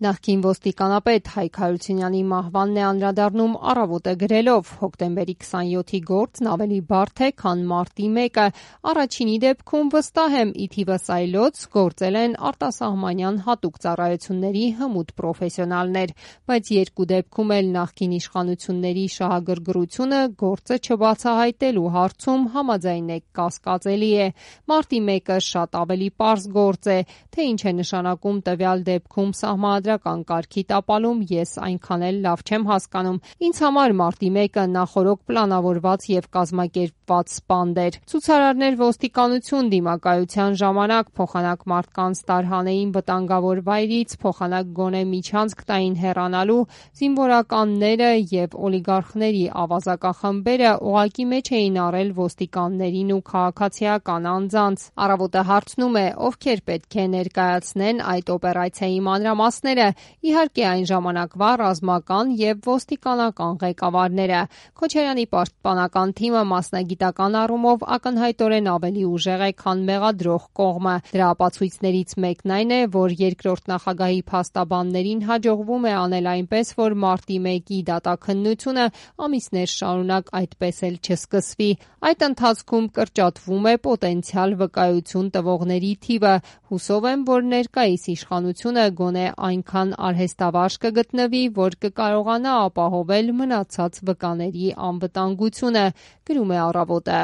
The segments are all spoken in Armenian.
Նախկին ոստիկանապետ Հայկ Հարությունյանի մահվանն է անդրադառնում Առավոտը գրելով. հոկտեմբերի 27-ի գործն ավելի բարդ է, քան մարտի 1-ը։ Առաջինի դեպքում վստահ եմ ի թիվս այլոց գործել են արտասահմանյան հատուկ ծառայությունների հմուտ պրոֆեսիոնալներ, բայց երկու դեպքում էլ նախկին իշխանությունների շահագրգռությունը գործը չբացահայտելու հարցում համաձայն եք կասկածելի է։ Մարտի 1-ը շատ ավելի պարզ գործ է, թե ինչ է նշանակում տվյալ դեպքում սահմանադրական կարգի տապալում, ես այնքան էլ լավ չեմ հասկանում։ Ինձ համար մարտի 1-ը նախօրոք պլանավորված եւ կազմակերպված սպանդ էր։ Ցուցարարներ ոստիկանություն դիմակայության ժամանակ փոխանակ մարդկանց տարհանեին վտանգավոր վայրից, փոխանակ գոնե միջանցք տային հեռանալու, զինվորականները եւ օլիգարխների ավազակախմբերը ուղղակի մեջ էին առել ոստիկաններին ու քաղաքացիական անձանց։ Առավոտը հարցնում է, ովքեր պետք է ներկայացնեն այդ օպերացիայի մանրամասները, իհարկե այն ժամանակվա ռազմական եւ ոստիկանական ղեկավարները։ Քոչարյանի պաշտպանական թիմը մասնագիտական առումով ակնհայտորեն ավելի ուժեղ է, քան մեղադրող կողմը։ Դրա ապացույցներից մեկն այն է, որ երկրորդ նախագահի փաստաբաններին հաջողվում է անել այնպես, որ մարտի 1-ի դատաքննությունը ամիսներ շարունակ այդպես էլ չսկսվի։ Այդ ընթացքում կրճատվում է պոտենցիալ վկայություն տվողների թիվը։ Հուսով եմ, որ ներկայիս իշխանությունը գոնե այնքան արհեստավարժ կգտնվի, որ կկարողանա ապահովել մնացած վկաների անվտանգությունը, գրում է Առավոտը։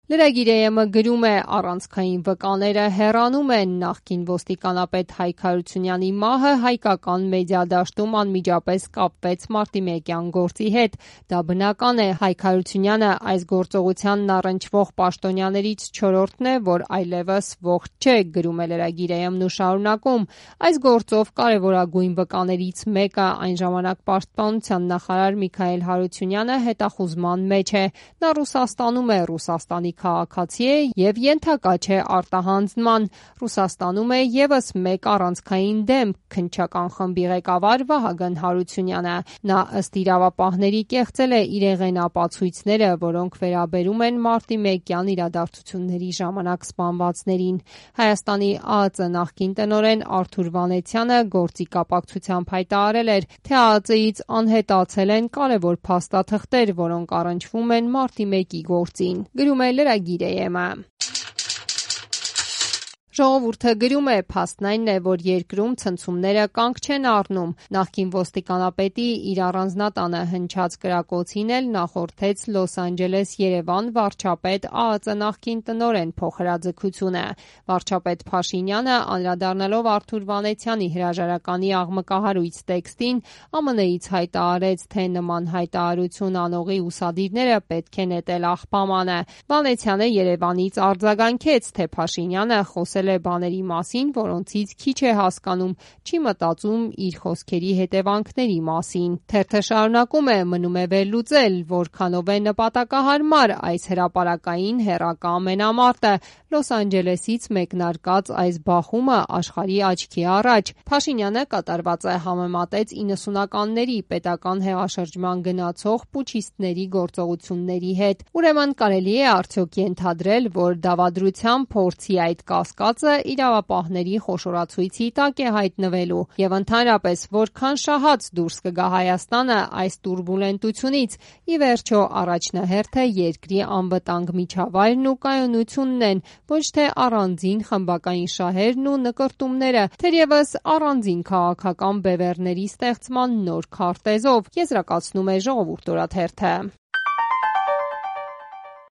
Lragir.am-ը գրում է. առանցքային վկաները հեռանում են, նախկին ոստիկանապետ Հայկ Հարությունյանի մահը հայկական մեդիադաշտում անմիջապես կապվեց մարտի 1-յան գործի հետ։ Դա բնական է, Հայկ Հարությունյանը այս գործողությանն առնչվող պաշտոնյաներից չորրորդն է, որ այլևս ողջ չէ, գրում է Lragir.am-ն ու շարունակում. այս գործով կարևորագույն վկաներից մեկը, այն ժամանակ պաշտպանության նախարար Միքայել Հարությունյանը հետախուզման մեջ է։ Նա Ռուսաստանում է, Ռուսաստանի քաղաքացի է եւ ենթակա չէ արտահանձնման։ Ռուսաստանում է եւս մեկ առանցքային դեմ, քննչական խմբի ղեկավար Վահագն Հարությունյանը։ Նա ըստ իրավապահների կեղծել է իրեղեն ապացույցները, որոնք վերաբերում են մարտի 1-յան իրադարձությունների ժամանակ սպանվածներին։ Հայաստանի ԱԱԾ նախկին տնօրեն Արթուր Վանեցյանը գործի կապակցությամբ հայտարարել էր, թե ԱԱԾ-ից անհետացել են կարևոր փաստաթղթեր, որոնք առնչվում են մարտի 1-ի գործին։ Գրում է Lragir.am-ը։ Ժողովուրդը գրում է. փաստն այն է, որ երկրում ցնցումները կանգ չեն առնում։ Նախկին ոստիկանապետի իր առանձնատանը հնչած կրակոցին էլ նախորդեց Լոս Անջելես-Երևան վարչապետ ԱԱԾ նախկին տնօրեն փոխհրաձգությունը։ Վարչապետ Փաշինյանը, անդրադառնալով Արթուր Վանեցյանի հրաժարականի աղմկահարույց տեքստին, ԱՄՆ-ից հայտարարեց, թե նման հայտարարություն անողի ուսադիրները պետք է նետել աղբամանը։ Վանեցյանը Երևանից արձագանքեց, թե Փաշինյանը խոսել է բաների մասին, որոնցից քիչ է հասկանում, չի մտածում իր խոսքերի հետևանքների մասին։ Թերթը շարունակում է. մնում է վերլուծել, որքանով է նպատակահարմար այս հրապարակային հեռակա ամենամարտը, Լոս Անջելեսից մեկնարկած այս բախումը աշխարհի աչքի առաջ։ Փաշինյանը կատարվածը համեմատեց 90-ականների պետական հեղաշրջման գնացող պուչիստների գործողությունների հետ։ Ուրեմն կարելի է արդյոք ենթադրել, որ դավադրության փորձի այդ կասկածը իրավապահների խոշորացույցի տակ է հայտնվելու եւ ընդհանրապես որքան շահած դուրս կգա Հայաստանը այս տուրբուլենտությունից։ Ի վերջո առաջնահերթը երկրի անվտանգ միջավայրն ու կայունությունն են, ոչ թե առանձին խմբակային շահերն ու նկրտումները, թերևս առանձին քաղաքական բևեռների ստեղծման նոր քարտեզով, եզրակացնում է Ժողովուրդ օրաթերթը։